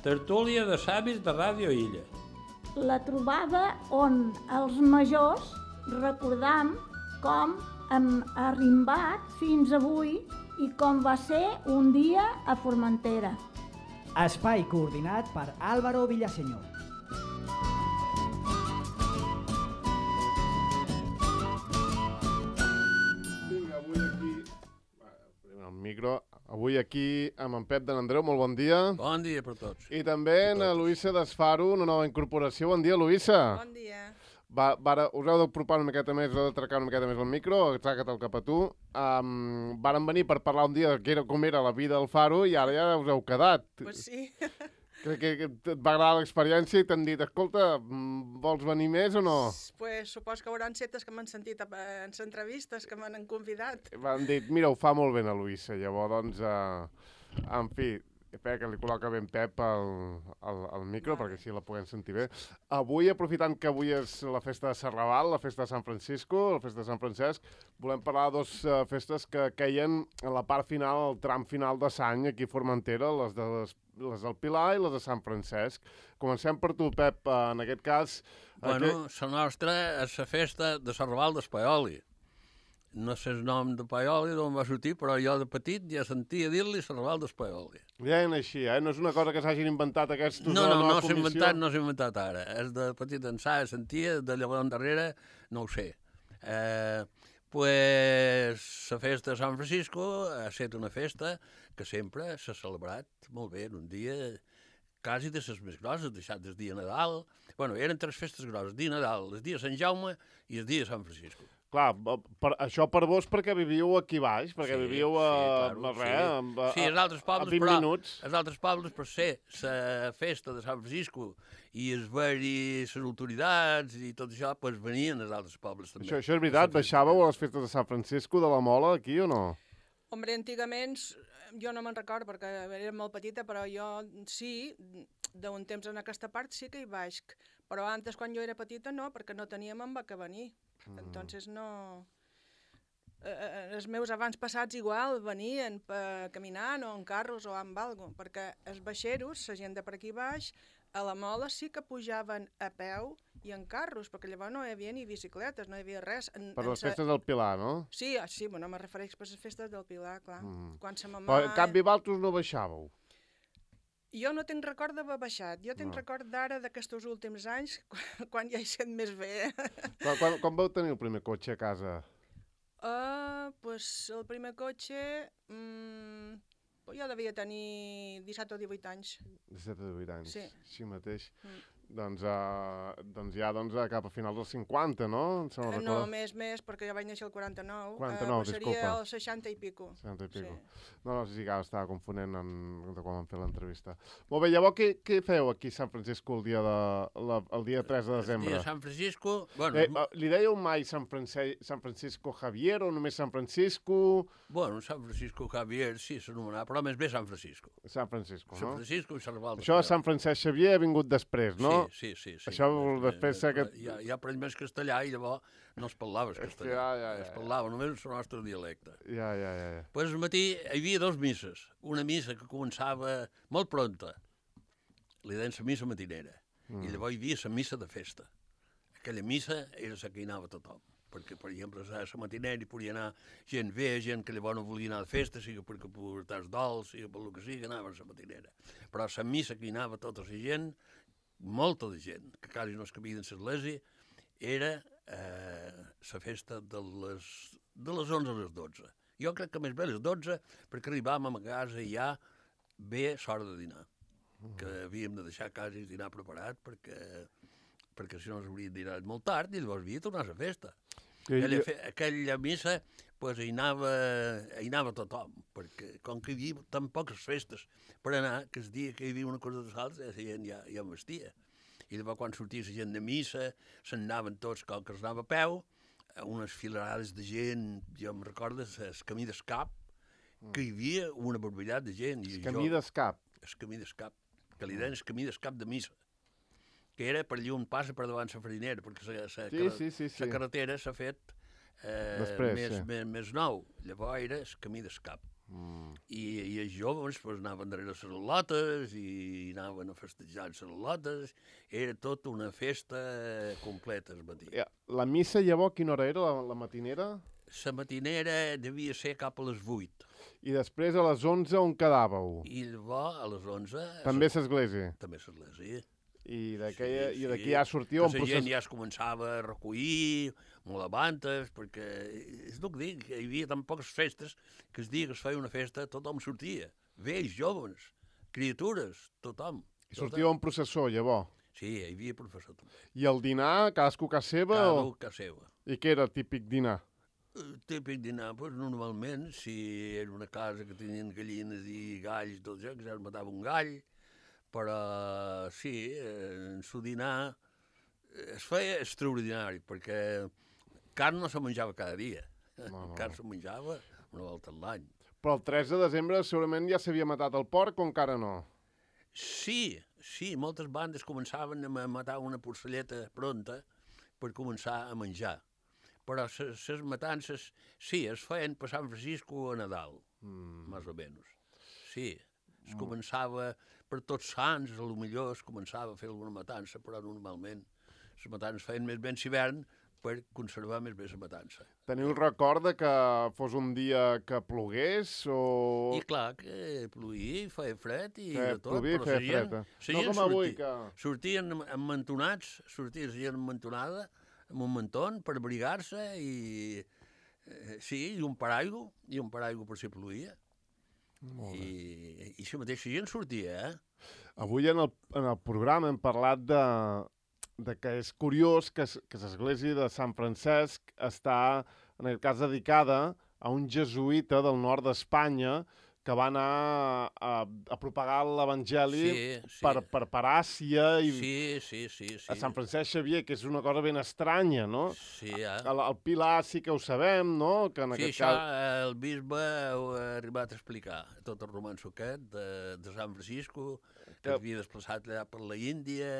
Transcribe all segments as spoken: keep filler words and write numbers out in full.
Tertúlia de savis de Ràdio Illa. La trobada on els majors recordam com hem arrimbat fins avui i com va ser un dia a Formentera. Espai coordinat per Álvaro Villaseñor. Vinga, avui aquí... Primer el micro. Avui aquí amb en Pep de n'Andreu, molt bon dia. Bon dia per tots. I també en Luisa Desfaro, una nova incorporació. Bon dia, Luisa. Bon dia. Va, va, us heu d'apropar una miqueta més, us heu d'atracar una miqueta més el micro, atraca't cap a tu. Um, varen venir per parlar un dia que era, com era la vida al Faro i ara ja us heu quedat. Pues sí. Crec que, que et va agradar l'experiència i t'han dit, escolta, vols venir més o no? Pues supos que hauran setes que m'han sentit en les entrevistes, que m'han convidat. M'han dit, mira, ho fa molt bé la Luisa. Llavors, doncs, uh, en fi, espera que li col·loca ben Pep al, al, al micro, vale, perquè així la puguem sentir bé. Avui, aprofitant que avui és la festa de Serrabal, la festa de Sant Francisco, la festa de Sant Francesc, volem parlar de dues uh, festes que queien en la part final, el tram final de l'any aquí a Formentera, les de les les del Pilar i les de Sant Francesc. Comencem per tu, Pep, en aquest cas... Bueno, aquest... la nostra és la festa de Serrabal d'Espaioli. No sé el nom de Paioli, d'on va sortir, però jo de petit ja sentia dir-li Serrabal d'Espaioli. Ja és així, eh? No és una cosa que s'hagin inventat aquests... No, no, no s'ha inventat, no s'ha inventat ara. És de petit ençà, sentia, de llavors endarrere, no ho sé. Eh, pues, la festa de Sant Francisco ha estat una festa que sempre s'ha celebrat molt bé, en un dia quasi de les més grosses, deixat del dia Nadal. Bueno, eren tres festes grosses, el dia Nadal, el dia Sant Jaume i el dia Sant Francisco. Clar, per, això per vos perquè viviu aquí baix, perquè sí, viviu a, sí, claro, a, res, sí. a, sí, els altres pobles, a vint però, minuts. Els altres pobles, per ser la festa de Sant Francisco i es veure les autoritats i tot això, pues venien els altres pobles també. Això, això és veritat, baixàveu a les festes de Sant Francisco de la Mola aquí o no? Hombre, antigament, jo no me'n recordo perquè era molt petita, però jo sí, d'un temps en aquesta part sí que hi baix. Però antes, quan jo era petita, no, perquè no teníem amb què venir. Mm. Entonces no... Eh, els meus abans passats igual venien per caminant o en carros o amb algo, perquè els baixeros, la gent de per aquí baix, a la Mola sí que pujaven a peu i en carros, perquè llavors no hi havia ni bicicletes, no hi havia res. En, per en les sa... festes del Pilar, no? Sí, sí, bueno, me refereix per les festes del Pilar, clar. Mm. Quan sa mamà... Però en canvi vosaltres no baixàveu? Jo no tinc record d'haver baixat, jo tinc no. record d'ara d'aquests últims anys, quan, quan ja hi sent més bé. Quan, quan, quan vau tenir el primer cotxe a casa? Uh, pues el primer cotxe... Mm, jo devia tenir disset o divuit anys. disset o divuit anys, sí. Així mateix. Mm. Doncs, uh, doncs ja doncs, cap a finals dels cinquanta, no? No, no més, més, perquè jo vaig néixer el quaranta-nou. quaranta-nou, uh, disculpa. Seria el seixanta i pico. seixanta i pico. Sí. No, no, sí que estava confonent en, de quan vam fer l'entrevista. Molt bé, llavors què, què feu aquí a Sant Francisco el dia, de, la, el dia tres de desembre? El dia de Sant Francisco... Bueno, eh, uh, li dèieu mai Sant, France... Sant Francisco Javier o només Sant Francisco? Bueno, Sant Francisco Javier sí s'anomenava, però més bé Sant Francisco. Sant Francisco, Sant no? Francisco i Serrabal. Això de Sant Francesc Xavier ha vingut després, no? Sí, sí, sí. sí. Això després ser que... Ja, ja aprens més castellà i llavors no es parlava el castellà. Ja, ja, ja, es parlava només el nostre dialecte. Ja, ja, ja. ja. Pues al matí hi havia dos misses. Una missa que començava molt pronta. Li deien la missa matinera. Mm. I llavors hi havia la missa de festa. Aquella missa era la que hi anava tothom. Perquè, per exemple, a la matinera hi podia anar gent bé, gent que llavors no volia anar de festa, sigui perquè portar els dols, sigui per el que sigui, anava a la matinera. Però la missa que hi anava tota la gent, molta de gent, que quasi no es cabia en l'església, era eh, la festa de les, de les onze a les dotze. Jo crec que més bé a les dotze, perquè arribàvem a casa i ja bé l'hora de dinar, que havíem de deixar quasi dinar preparat, perquè, perquè si no s'hauria dinat molt tard i llavors havia de tornar a la festa. Aquella, fe, aquella missa pues, hi, anava, hi anava tothom, perquè com que hi havia tan poques festes per anar, que el dia que hi havia una cosa de salts, la gent ja, ja vestia. I llavors quan sortia la gent de missa, se'n anaven tots, com que es anava a peu, unes filarades de gent, jo em recordo, el camí d'escap, que hi havia una barbaritat de gent. El camí d'escap? El camí d'escap, que li deien el camí d'escap de missa, que era per allà on passa per davant la farinera, perquè la sí, sí, sí, sí. carretera s'ha fet eh, Després, més, sí. més, més nou. Llavors era el camí d'escap. Mm. I, i els joves pues, anaven darrere les lotes i anaven a festejar les lotes. Era tot una festa completa al matí. Ja, la missa, llavors, quina hora era, la, la matinera? La matinera devia ser cap a les vuit. I després a les onze on quedàveu? I llavors a les onze... També a l'església? També a l'església. I d'aquí sí, sí. sí. ja sortíeu... La procés... gent ja es començava a recollir, molt abans, perquè és el que dic, hi havia tan poques festes que el dia que es feia una festa tothom sortia. Vells, joves, criatures, tothom. I sortíeu en processó, llavors? Sí, hi havia professor també. I el dinar, cadascú a casa seva? Cadascú o... a casa seva. I què era típic dinar? Típic dinar, doncs normalment, si era una casa que tenien gallines i galls, tot això, que ja es matava un gall, però sí, en su dinar es feia extraordinari, perquè carn no se menjava cada dia, no, no. Carn se menjava una volta a l'any. Però el tres de desembre segurament ja s'havia matat el porc o encara no? Sí, sí, moltes bandes començaven a matar una porcelleta pronta per començar a menjar. Però les matances, sí, es feien per Sant Francisco a Nadal, mm. més o menys. Sí, es mm. començava per tots sants, a lo millor es començava a fer alguna matança, però normalment les matances feien més bé en hivern per conservar més bé la matança. Teniu el record de que fos un dia que plogués o...? I clar, que plovia, feia fred i feia, de tot, plovia, però la gent, fred, no com avui, sortia, que... sortien emmantonats, sortia la gent emmantonada, amb un mantón per abrigar-se i... Eh, sí, i un paraigua, i un paraigua per si plovia. I, i la mateixa gent sortia, eh? Avui en el, en el programa hem parlat de, de que és curiós que, que l'església de Sant Francesc està, en aquest cas, dedicada a un jesuïta del nord d'Espanya que va anar a, a propagar l'Evangeli sí, sí. per, per, per Àsia i sí, sí, sí, sí. a Sant Francesc Xavier, que és una cosa ben estranya, no? Sí, eh? El, el Pilar sí que ho sabem, no? Que en sí, aquest això cas... el bisbe ho ha arribat a explicar, tot el romanço aquest de, de Sant Francisco, que, que havia desplaçat allà per la Índia,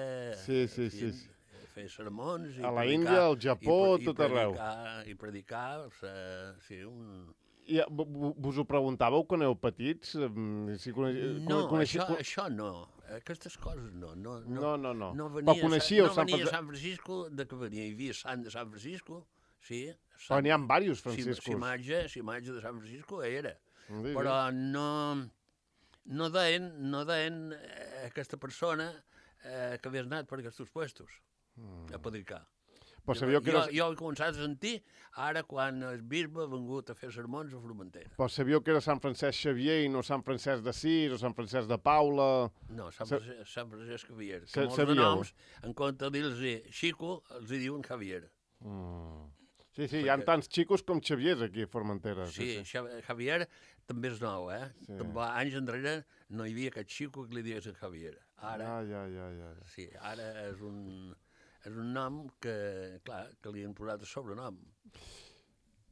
sí, sí, sí, sí. fer sermons... A la Índia, al Japó, i, tot arreu. I predicar, o sigui, sí, un... I vos ho preguntàveu quan éreu petits? Si coneix... No, coneixi... això, això no. Aquestes coses no. No, no, no. no, no. no venia, Però coneixíeu no Sant venia Francisco? Sant Francisco, de què venia? Hi havia Sant de Sant Francisco, sí. Sant... Però n'hi ha diversos Franciscos. Si imatge, si imatge de Sant Francisco era. Sí, però no, no deien, no deien eh, aquesta persona eh, que havies anat per aquests puestos mm. a predicar. Però sabíeu que jo, era... jo he començat a sentir ara quan el bisbe ha vengut a fer sermons a Formentera. Però sabíeu que era Sant Francesc Xavier i no Sant Francesc d'Assís o Sant Francesc de Paula? No, Sant, Sa... Francesc, Sant Francesc Xavier. Sa Que molts de noms, en compte de dir-los Xico, els hi diuen Javier. Mm. Sí, sí, Perquè... hi ha tants xicos com Xaviers aquí a Formentera. Sí, sí, sí. Javier també és nou, eh? Sí. També, anys enrere no hi havia cap xico que li digués a Javier. Ara, ja, ja, ja, ja. Sí, ara és un... és un nom que, clar, que li han posat a sobrenom.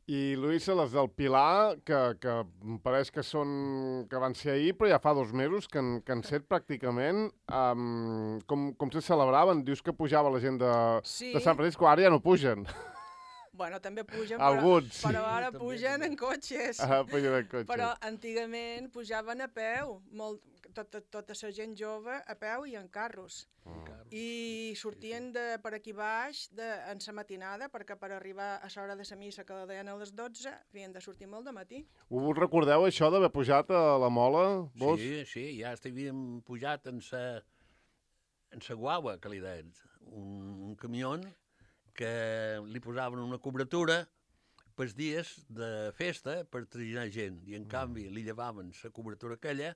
I, Luisa, les del Pilar, que, que em pareix que són que van ser ahir, però ja fa dos mesos que han, que han set pràcticament. Um, com, com se celebraven? Dius que pujava la gent de, sí. de Sant Francisco, ara ja no pugen. Bueno, també pugen, Alguns, però, però ara pugen en cotxes. Ah, pugen en cotxes. Però antigament pujaven a peu, molt, tota, tota la gent jove a peu i en carros. Mm. I sortien de, per aquí baix de, en la matinada, perquè per arribar a l'hora de la missa, que la deien a les dotze, havien de sortir molt de matí. Us recordeu això d'haver pujat a la Mola, vos? Sí, sí, ja havíem pujat en sa, en sa guagua, que li deien, un, un camió que li posaven una cobertura pels dies de festa per traginar gent, i en mm. canvi li llevaven la cobertura aquella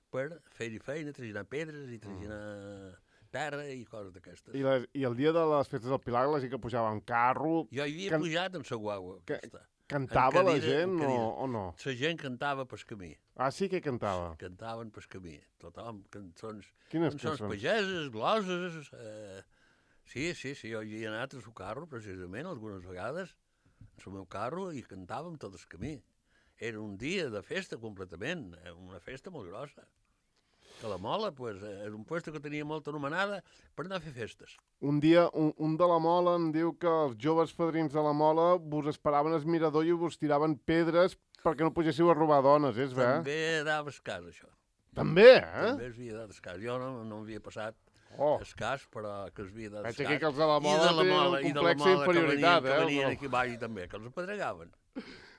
per fer-hi feina, traginar pedres i traginar mm. terra i coses d'aquestes. I, les, I el dia de les festes del Pilar, la gent que pujava en carro... Jo hi havia can... pujat en la guagua. Que... Cantava cadira, la gent o, o no? La gent cantava pel camí. Ah, sí que cantava? Cantaven pel camí. Tothom, cançons... Quines cançons? Cançons pageses, gloses... Eh... Sí, sí, sí, jo hi he anat al seu carro, precisament, algunes vegades, al meu carro, i cantàvem tot el camí. Era un dia de festa completament, una festa molt grossa. Que la Mola, pues, era un lloc que tenia molta anomenada per anar a fer festes. Un dia, un, un de la Mola em diu que els joves padrins de la Mola vos esperaven al mirador i vos tiraven pedres perquè no pugéssiu a robar dones, és bé? També dava escàs, això. També, eh? També es havia dat escàs. Jo no, no m'havia passat Oh. escàs, però que es havia dat Veig escàs. aquí que els de la I Mola de la tenen Mola, un i de la complex Mola d'inferioritat, que venien, eh? que venien No. aquí baix també, que els apedregaven.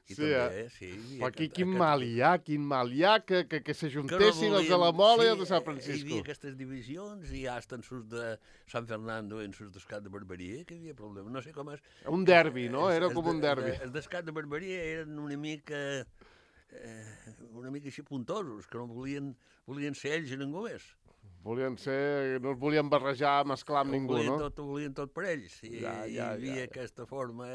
I Sí, també, eh? sí. hi havia Però aquí aquest- quin aquest- mal hi ha, quin mal hi ha, que, que, que que no s'ajuntessin els de la volien- Mola sí, i els de Sant Hi Francisco. havia aquestes divisions i hasta en sus de Sant Fernando i en sus d'Escat de Barberia, que hi havia problema. No sé com és... Un derbi, no? Els- Era els com de- un derbi. Els d'Escat de Barberia eren una mica... Eh, una mica així puntosos, que no volien, volien ser ells i ningú més. Volien ser... No es volien barrejar, mesclar amb Ho ningú, volien no? Tot, ho volien tot per ells. I Ja, ja, hi havia ja, ja. aquesta forma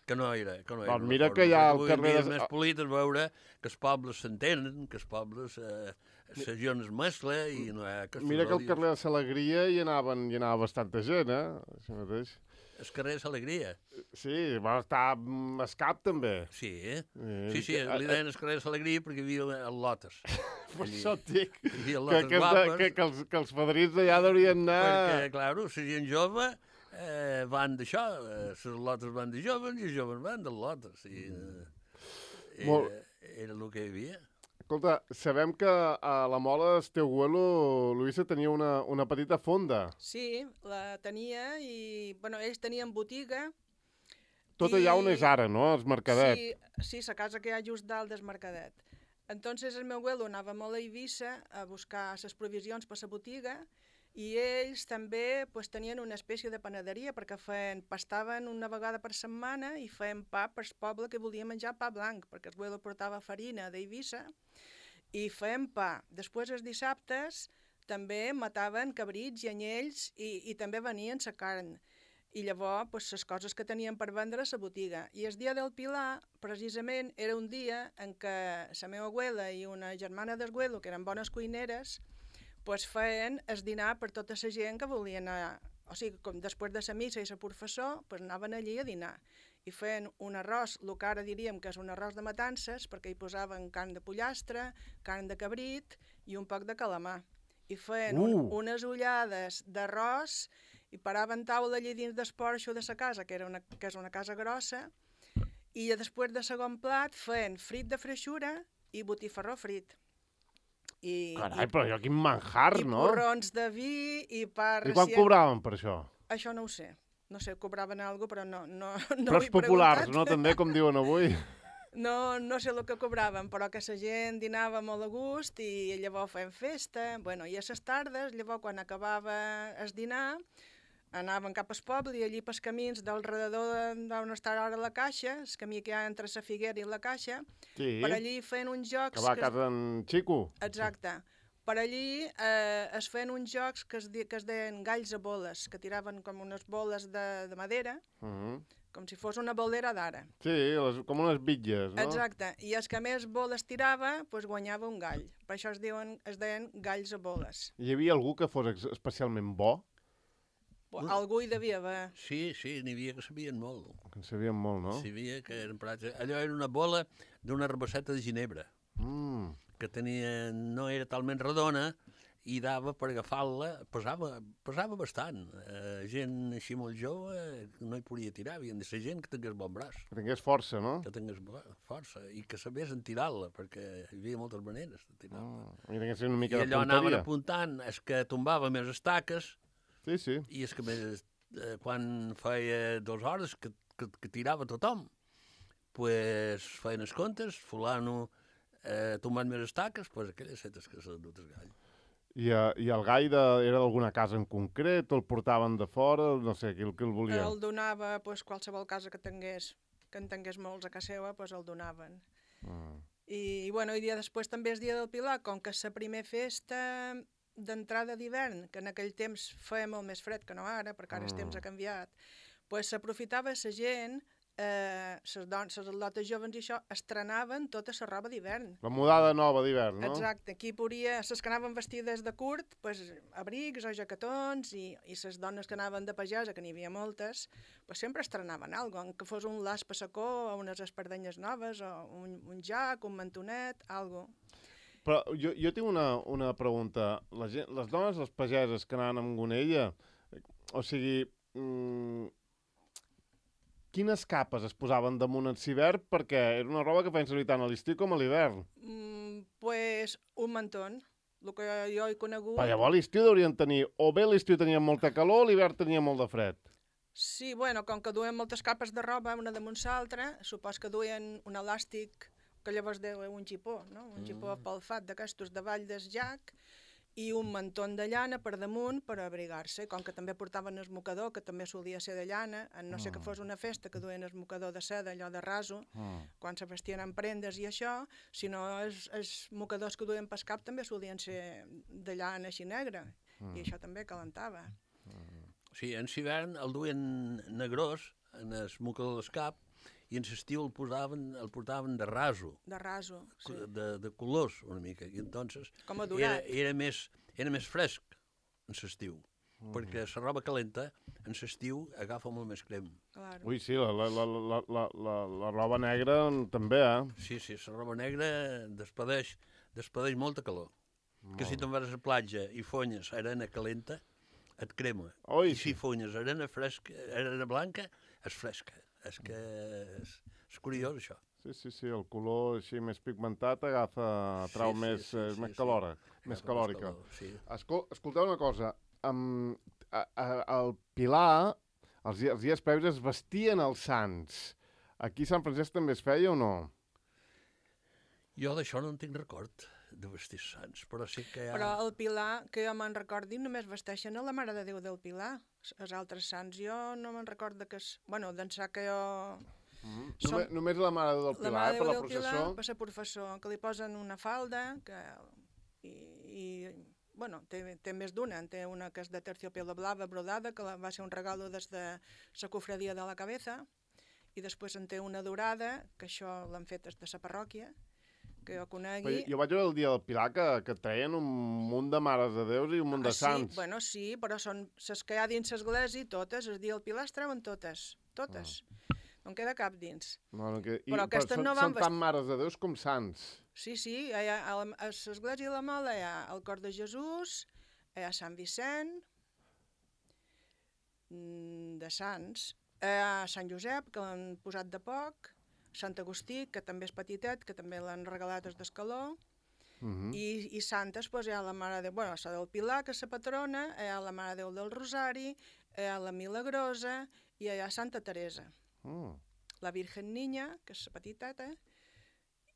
que no era. Que no era Doncs una mira forma. que hi ha al Avui en carrer dia de- és més polit és veure que els pobles s'entenen, que els pobles... Eh, la gent es mescla i no hi ha aquests Mira que al odios. carrer de Salegria hi anaven, hi anava bastanta gent, eh? Així mateix. El carrer és alegria. Sí, va estar mm, Escap també. Sí, eh? Eh, Sí, sí, que- li deien el carrer és alegria perquè hi havia el Lotes. Per això et dic Hi havia que, lotes que, és de, guapes. que, que, els, que els fadrins d'allà deurien anar... Perquè, clar, la gent jove eh, van d'això, eh, les lotes van de joves i els joves van de lotes. I, eh, Molt- era, era el que hi havia. Escolta, sabem que a la Mola Esteuguelo, Luisa, tenia una, una petita fonda. Sí, la tenia i, bueno, ells tenien botiga. Tot allà on és ara, no? Els Mercadet. Sí, sí, la casa que hi ha just dalt del Mercadet. Entonces el meu abuelo anava molt a Eivissa a buscar les provisions per la botiga i ells també pues, tenien una espècie de panaderia perquè feien, pastaven una vegada per setmana i feien pa per al poble que volia menjar pa blanc, perquè el abuelo portava farina d'Eivissa i feien pa. Després els dissabtes també mataven cabrits i anyells i, i també venien la carn. I llavors, pues, les coses que tenien per vendre a la botiga. I el dia del Pilar, precisament, era un dia en què la meva abuela i una germana d'Esguelo, que eren bones cuineres, pues, feien el dinar per tota la gent que volia anar. O sigui, com després de la missa i la professor, pues, anaven allí a dinar. I feien un arròs, el que ara diríem que és un arròs de matances, perquè hi posaven carn de pollastre, carn de cabrit i un poc de calamar. I feien Uh. un, unes ullades d'arròs i paraven taula allà dins del porxo de la casa, que, era una, que és una casa grossa, i després de segon plat feien frit de freixura i botifarró frit. I, Carai, i, però allò quin manjar, i no? porrons de vi i pa I quan recient. cobraven per això? Això no ho sé. No sé, cobraven alguna cosa, però no, no, no Però ho he els populars, preguntat. no? També, com diuen avui. No, no sé el que cobraven, però que la gent dinava molt a gust i llavors feien festa. Bueno, i a les tardes, llavors quan acabava el dinar, anaven cap al poble i allí pels camins del redador d'on està ara la caixa, el camí que hi ha entre la Figuera i la caixa, Sí, per allí feien uns jocs... que va a que es- casa en Xico. Exacte. Per allí eh, es feien uns jocs que es, di- que es deien galls a boles, que tiraven com unes boles de, de madera, Mhm. com si fos una bolera d'ara. Sí, les, com unes bitlles, no? Exacte. I els que més boles tirava, pues, guanyava un gall. Per això es, diuen, es deien galls a boles. Hi havia algú que fos ex- especialment bo? Mm. Algú hi devia haver. Sí, sí, n'hi havia que sabien molt. Que en sabien molt, no? N'hi havia que eren prats. Allò era una bola d'una rabasseta de ginebra, Mm. que tenia, no era talment redona, i dava per agafar-la, pesava, pesava bastant. Eh, gent així molt jove no hi podia tirar, havien de ser gent que tingués bon braç, Que tingués força, no? que tingués bo- força, i que sabés en tirar-la, perquè hi havia moltes maneres de tirar-la. Mm. I tingués una I mica de allò anaven punteria. apuntant, és que tombava més estaques, Sí, sí. i és que més, eh, quan feia dues hores que, que, que tirava tothom, pues feien els comptes, fulano eh, tombant més estaques, pues aquelles setes que s'han dut el gall. I, uh, I el gall de, era d'alguna casa en concret, o el portaven de fora, no sé, qui, el- qui el volia? El donava pues, qualsevol casa que tingués, que en tingués molts a casa seva, pues, el donaven. Mm. I, i, bueno, i dia després també és dia del Pilar, com que és la primera festa d'entrada d'hivern, que en aquell temps feia molt més fred que no ara, perquè ara el temps ha canviat, pues s'aprofitava la gent, eh, les dones, les atletes joves i això, estrenaven tota la roba d'hivern. La mudada nova d'hivern, no? Exacte, aquí podia, les que anaven vestides de curt, pues, abrics o jacatons, i, i les dones que anaven de pagesa, que n'hi havia moltes, pues, sempre estrenaven alguna cosa, que fos un las passacó, o unes espardenyes noves, o un, un jac, un mantonet, alguna cosa. Però jo, jo tinc una, una pregunta. La gent, les dones, les pageses que anaven amb gonella, o sigui, mm, quines capes es posaven damunt en hivern? Perquè era una roba que feien servir tant a l'estiu com a l'hivern. Mm, pues un mantón, el que jo he conegut. Però llavors a l'estiu deurien tenir, o bé a l'estiu tenien molta calor o l'hivern tenia molt de fred. Sí, bueno, com que duien moltes capes de roba, una damunt l'altra, supos que duien un elàstic, que llavors deu un xipó, no? Un xipó Mm. palfat d'aquestos de vall del llac, i un mantón de llana per damunt per abrigar-se, com que també portaven el mocador, que també solia ser de llana, en no sé que fos una festa que duien el mocador de seda, allò de raso, Mm. quan se vestien en prendes i això, sinó els, els mocadors que duien pel cap també solien ser de llana així negra, Mm. i això també calentava. Sí, en hivern el duien negrós en el mocador del cap i en l'estiu el posaven, el portaven de raso, De raso, sí. de, de colors una mica, i entonces Com a era, dorat. era, més, era més fresc en l'estiu, mm. perquè la roba calenta en l'estiu agafa molt més crem. Claro. Ui, sí, la, la, la, la, la, la, la roba negra també, eh? Sí, sí, la roba negra despedeix, despedeix molta calor. Molt. Que si te'n vas a la platja i fonyes arena calenta, et crema. Oi, I si fonyes arena fresca, arena blanca, és fresca. És que és, és curiós, això. Sí, sí, sí, el color així més pigmentat agafa, trau Sí, sí, més, sí, eh, sí, més sí. calora, més Agafa calòrica. calor, sí. Escol escolteu una cosa, um, a, a, al Pilar, els, di- els dies previs es vestien els sants. Aquí a Sant Francesc també es feia o no? Jo d'això no en tinc record, de vestir sants, però sí que hi ha... Però el Pilar, que jo me'n recordi, només vesteixen a la Mare de Déu del Pilar. Els altres sants jo no me'n recordo que... És... Bueno, d'ençà que jo... Mm. Som- Només, només la Mare de Déu del La Pilar, Mare eh, de per Déu la del Pilar, processó. per ser professor, que li posen una falda, que... I, i bueno, té, té més d'una. En té una que és de terciopelo blava brodada, que la, va ser un regalo des de la cofradia de la Cabeza, i després en té una dorada, que això l'han fet des de la parròquia, que jo Però conegui. jo vaig veure el dia del Pilar que, que treien un munt de mares de Déus i un munt de Ah, sants. Sí, bueno, sí, però són les que hi ha dins l'església, totes, el dia del Pilar es treuen totes, totes. Ah. No en queda cap dins. No, no, que, i, Però aquestes són, no van són vest- tant mares de Déus com sants. Sí, sí, hi ha, a la- a l'església de la Mola hi ha el cor de Jesús, hi ha Sant Vicent, mm, de Sants, hi ha Sant Josep, que l'han posat de poc, Sant Agustí, que també és petitet, que també l'han regalat des d'Escaló, Uh -huh. i, i santes, doncs, hi ha la Mare de Déu, bueno, la del Pilar, que és la patrona, hi ha la Mare de Déu del Rosari, hi ha la Milagrosa i hi ha Santa Teresa. Mm. La Virgen Niña, que és la petiteta,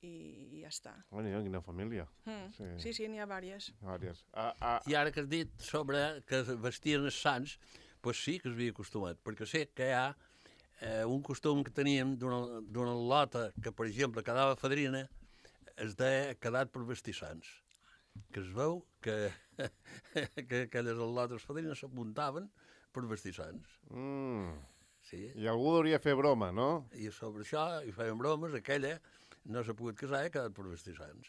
i, i ja està. Bueno, quina família. Mm. Sí. Sí, sí, n'hi ha vàries. Vàries. Ah, ah, I ara que has dit sobre que es vestien els sants, doncs sí que s'havia acostumat, perquè sé que hi ha eh, un costum que teníem d'una d'una lota que, per exemple, quedava fadrina, es deia quedat per vestir sants. Que es veu que, que aquelles lotes fadrines s'apuntaven per vestir sants. mm. Sí. I algú hauria fer broma, no? I sobre això hi feien bromes, aquella no s'ha pogut casar i ha quedat per vestir sants.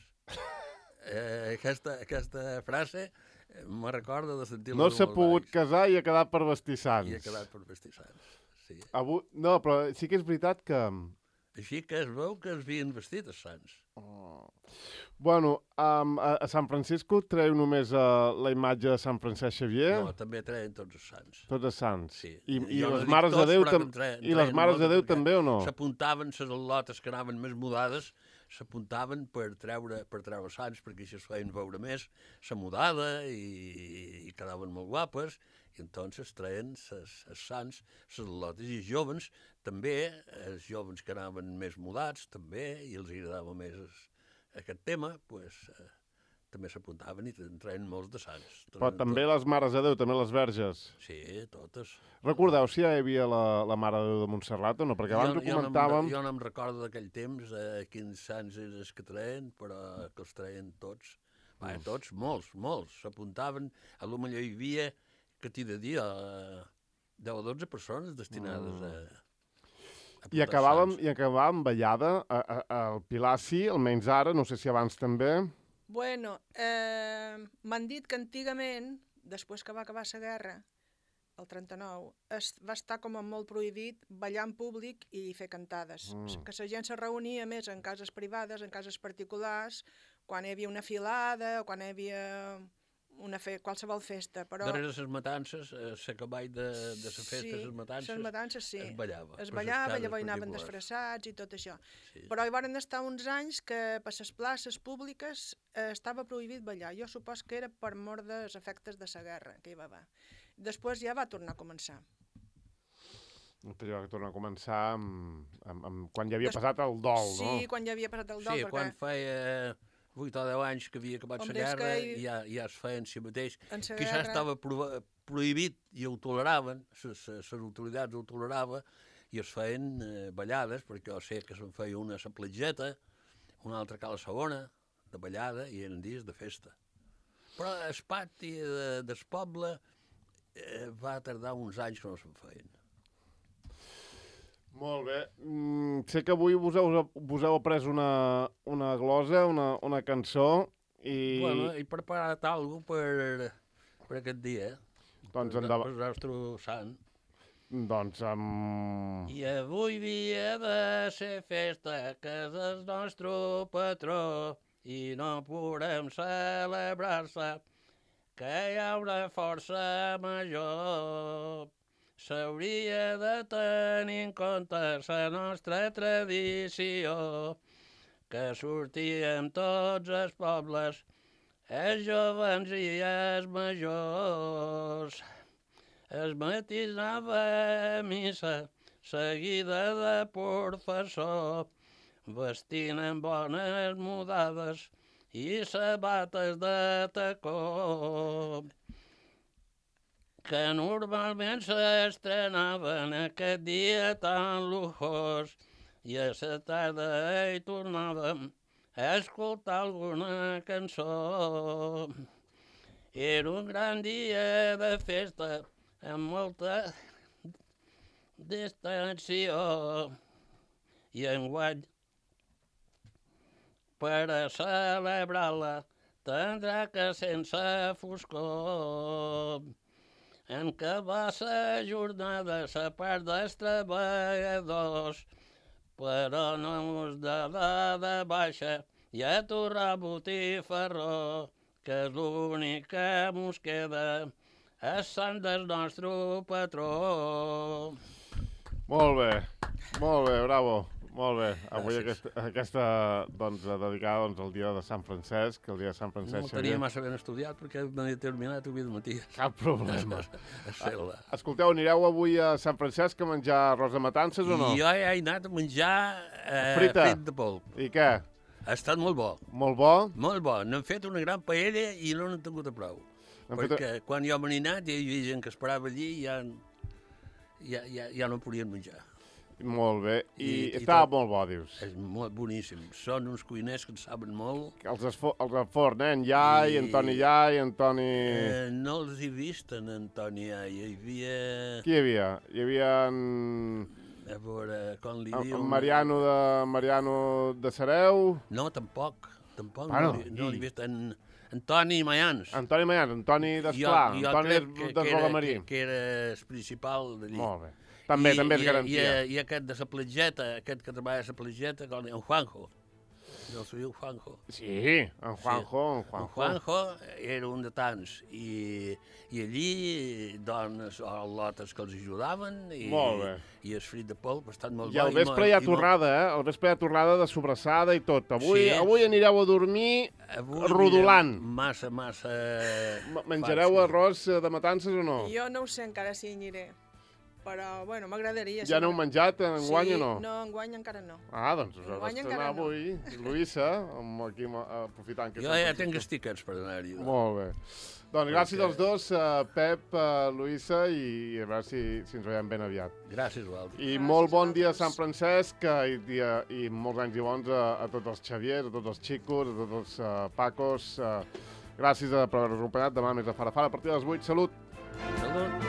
eh, aquesta, aquesta frase eh, me recorda de sentir-la No dur s'ha molt pogut baix. casar i ha quedat per vestir sants. I ha quedat per vestir sants, sí. Avui... No, però sí que és veritat que... Així que es veu que es havien vestit els sants. Oh. Bueno, um, a, a Sant Francisco treu només uh, la imatge de Sant Francesc Xavier, No, també treien tots els sants. tots els sants. Sí. I, i Jo no les dic mares de tots, Déu, però tam... que en treien- I les treien mares de molts, Déu perquè també o no? S'apuntaven les al·lotes que anaven més mudades, s'apuntaven per treure per treure sants, perquè així es feien veure més la mudada i, i quedaven molt guapes, i entonces treien els sants, les al·lotes, i els joves també, els joves que anaven més mudats també, i els agradava més es- aquest tema, pues, eh, també s'apuntaven i en treien molts de sants. Però també les mares de Déu, també les verges. Sí, totes. Recordeu si ja hi havia la, la Mare de Déu de Montserrat o no? Perquè abans ho jo, comentàvem... No em, jo no em recordo d'aquell temps eh, quins sants eren els que treien, però que els treien tots. Va, Mm. tots, molts, molts. S'apuntaven, a lo millor hi havia, que t'hi de dir, eh, deu o dotze persones destinades Mm. a, a I portar acabàvem, sants. I acabàvem ballada, a, a, al Pilar sí, almenys ara, no sé si abans també. Bueno, eh, m'han dit que antigament, després que va acabar la guerra, el trenta-nou, es, va estar com a molt prohibit ballar en públic i fer cantades. Mm. Que la gent se reunia més en cases privades, en cases particulars, quan hi havia una filada o quan hi havia una fe, qualsevol festa, però... Darrere les matances, a l'acaball de, de la festa, sí, les matances, les matances sí. es ballava. Es ballava, llavors hi anaven disfressats i tot això. Sí. Però hi van estar uns anys que per les places públiques eh, estava prohibit ballar. Jo supos que era per mor dels efectes de la guerra que hi va haver. Després ja va tornar a començar. Després va tornar a començar amb, amb, amb, quan ja havia Des... passat el dol, sí, no? Sí, quan ja havia passat el dol. Sí, perquè... quan feia vuit o deu anys que havia acabat la guerra, hi... ja, ja es feien si mateix. Quizás guerra... estava pro... prohibit i ho toleraven, les autoritats ho toleraven, i es feien eh, ballades, perquè jo sé que se'n feia una a la platgeta, una altra a la segona, de ballada, i eren dies de festa. Però el pati de, del poble eh, va tardar uns anys que no se'n feien. Molt bé. Mm, sé que avui vos heu, vos heu après una, una glosa, una, una cançó, i... Bueno, he preparat alguna cosa per, per aquest dia, eh? Doncs per, endavant. per el nostre sant. Doncs amb... I avui dia de ser festa, que és el nostre patró, i no podem celebrar-se, que hi ha una força major. S'hauria de tenir en compte la nostra tradició, que sortíem tots els pobles, els jovens i els majors. Es matí anava a missa, seguida de professor, vestint amb bones mudades i sabates de tacó, que normalment s'estrenaven aquest dia tan lujós, i a la tarda hi tornàvem a escoltar alguna cançó. Era un gran dia de festa, amb molta distensió, i enguany, per a celebrar-la, tindrà que sense foscor. En què va la jornada, la part dels treballadors, però no mos de la de baixa i a torrar botifarró, que és l'únic que mos queda, és sant del nostre patró. Molt bé, molt bé, bravo. Molt bé, avui aquesta, aquesta doncs, dedicada doncs, al dia de Sant Francesc, el dia de Sant Francesc... No ho tenia massa ben estudiat perquè m'he terminat avui de matí. Cap problema. A Escolteu, anireu avui a Sant Francesc a menjar arròs de matances o no? Jo he anat a menjar eh, Frita. frit de polp. I què? Ha estat molt bo. Molt bo? Molt bo. N'hem fet una gran paella i no n'hem tingut a prou. Perquè fet... quan jo me n'he anat hi havia gent que esperava allí i ja, ja, ja, ja no podien menjar. Molt bé. I, I tot, estava molt bo, dius. És molt boníssim. Són uns cuiners que en saben molt. Els, esfo, els de forn, eh? En Iai, I... Antoni Iai, Antoni... Eh, no els he vist, en Antoni Iai. Hi havia... Qui hi havia? Hi havia en... A veure, com li en, diu... En Mariano de, Mariano de Sareu? No, tampoc. Tampoc ah, no, no, no l'he vist. En Antoni Mayans. Antoni Mayans, Antoni d'Esplà, Antoni d'Esbolamarí. Que, que era el principal d'allí. Molt bé. També, I, també és i, garantia. I, I aquest de la platgeta, aquest que treballa a la platgeta, en Juanjo. No s'ho diu Juanjo. Sí, en Juanjo, sí. en Juanjo. En Juanjo era un de tants. I, i allí, dones o lotes que els ajudaven. I, molt bé. I el frit de polp ha estat molt I bo. al vespre hi ha tornada, eh? Al vespre hi ha tornada de sobrassada i tot. Avui, sí. avui anireu a dormir avui rodolant. Massa, massa... Menjareu fàcil. Arròs de matances o no? Jo no ho sé encara si hi aniré. Però, bueno, m'agradaria. Ja n'heu menjat enguany sí, o no? No, enguany encara no. Ah, doncs us heu d'estrenar avui. No. Luisa, aquí aprofitant que... Jo ja tinc els tiquets per anar-hi. Molt bé. Doncs gràcies als dos, uh, Pep, uh, Luisa, i a veure si, si ens veiem ben aviat. Gràcies, Valdi. I gràcies molt bon dia a Sant Francesc i, dia, i molts anys i bons a, a tots els Xaviers, a tots els xicos, a tots els uh, Pacos. Uh, gràcies per haver-nos acompanyat. Demà més a Farafara a partir de les vuit. Salut! Salut!